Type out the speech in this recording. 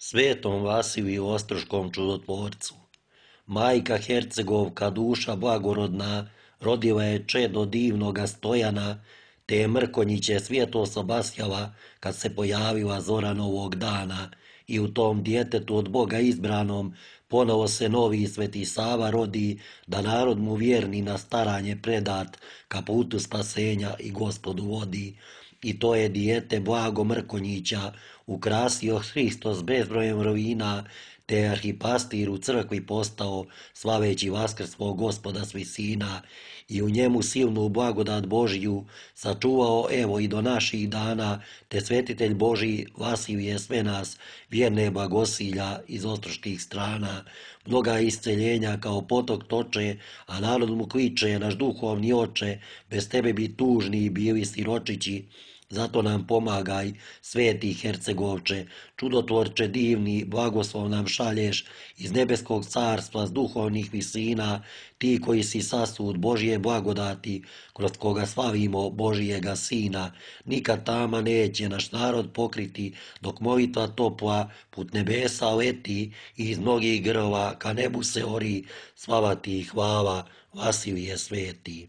Svetom Vasiliju Ostroškom čudotvorcu. Majka Hercegovka, duša blagorodna, rodila je čedo divnoga Stojana, te je Mrkonjiće svjetlo obasjala kad se pojavila zora novog dana, i u tom djetetu od Boga izbranom ponovo se novi Sveti Sava rodi, da narod mu vjerni na staranje predat ka putu spasenja i Gospodu vodi. I to je dijete Blago Mrkonjića ukrasio Hristos bezbrojem rovina, te je arhipastir u crkvi postao, slaveći vaskrstvo Gospoda s visina, i u njemu silnu blagodat Božiju sačuvao evo i do naših dana, te svetitelj Božji Vasilije sve nas vjerne blagosilja iz ostroških strana. Mnoga isceljenja kao potok toče, a narod mu kliče: naš duhovni oče, bez tebe bi tužni bili siročići. Zato nam pomagaj, sveti Hercegovče, čudotvorče divni, blagoslov nam šalješ iz nebeskog carstva s duhovnih visina, ti koji si sasud Božje blagodati, kroz koga slavimo Božijega Sina. Nikad tama neće naš narod pokriti, dok molitva topla put nebesa leti i iz mnogih grla ka nebu se ori. Slava ti i hvala, Vasilije sveti.